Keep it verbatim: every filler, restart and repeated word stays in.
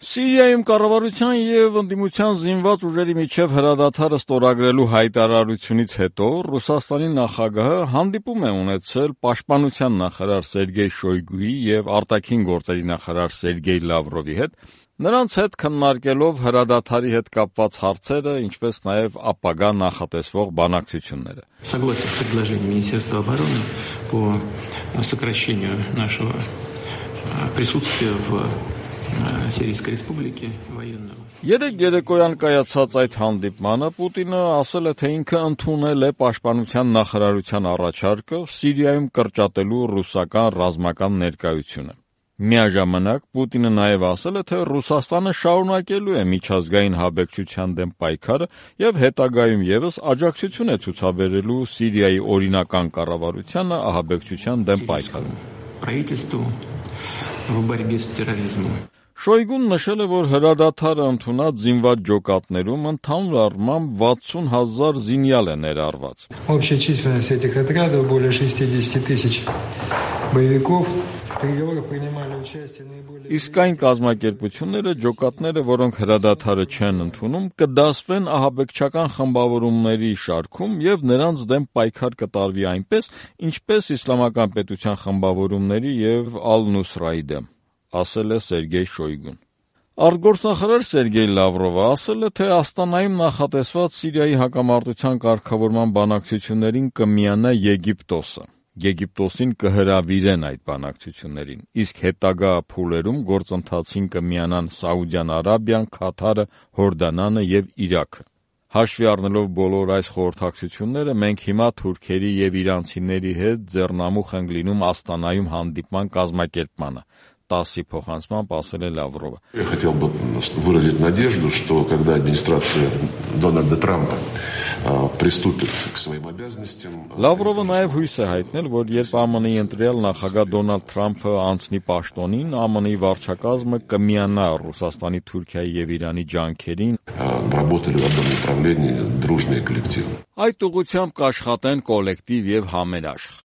Սիրիայում կառավարության եւ ընդդիմության զինված ուժերի միջև հրադադարը ստորագրելու հայտարարությունից հետո Ռուսաստանի նախագահը հանդիպում է ունեցել պաշտպանության նախարար Սերգեյ Շոյգուի եւ արտաքին գործերի նախարար Սերգեյ Լավրովի հետ, նրանց հետ քննարկելով հրադադարի հետ կապված հարցերը, ինչպես նաեւ ապագա նախատեսվող բանակցությունները։ Согласен с предложением Министерства обороны по сокращению нашего присутствия в Սիրիական ռեսպուբլիկի военного։ Երեք երեկոյան կայացած այդ հանդիպմանը Պուտինը ասել է, թե ինքը ընդունել է պաշտպանության նախարարության առաջարկը Սիրիայում կրճատելու ռուսական ռազմական ներկայությունը։ Միաժամանակ Պուտինը նաև ասել է, թե Ռուսաստանը շարունակելու է միջազգային հաբեկչության դեմ պայքարը եւ հետագայում եւս աջակցություն է ցուցաբերելու Սիրիայի օրինական կառավարությանը ահաբեկչության դեմ պայքարում։ Правительству в борьбе с терроризмом։ Շոյգուն նշել է, որ հրադադարը ընդունած զինված ջոկատներում ընդհանուր առմամբ վաթսուն հազար զինյալ է ներառված։ Общая численность этих отрядов более шестьдесят тысяч боевиков. Իսկ այն կազմակերպությունները, ջոկատները, որոնք հրադադարը չեն ընդունում, կդասվեն ահաբեկչական խմբավորումների շարքում եւ նրանց դեմ պայքար կտարվի այնպես, ինչպես իսլամական պետության խմբավորումների եւ Ալ-Նուսրայի դեմ, ասել է Սերգեյ Շոյգուն։ Արտգործնախարար Սերգեյ Լավրովը ասել է, թե Աստանայում նախատեսված Սիրիայի հակամարտության կարգավորման բանակցություններին կմիանա Եգիպտոսը։ Եգիպտոսին կհրավիրեն այդ բանակցություններին, իսկ հետագա փուլերում գործընթացին կմիանան Սաուդյան Արաբիան, Քաթարը, Հորդանանը եւ Իրաքը։ Հաշվի առնելով բոլոր այս խորհրդակցությունները, մենք հիմա թուրքերի եւ իրանցիների հետ ձեռնամուխ ենք լինում Աստանայում հանդիպման կազմակերպմանը, տասի փոխանցմամբ ասել է Լավրովը։ Я хотел бы выразить надежду, что когда администрация Дональда Трампа приступит к своим обязанностям. Լավրովը նաև հույս է հայտնել, որ երբ ԱՄՆ-ի ընտրյալ նախագահ Դոնալդ Թրամփը անցնի պաշտոնին, ԱՄՆ-ի վարչակազմը կմիանա Ռուսաստանի, Թուրքիայի եւ Իրանի ջանքերին, работали в одном направлении дружные коллективы. Այդ ուղղությամբ կաշխատեն կոլեկտիվ եւ համերաշխ։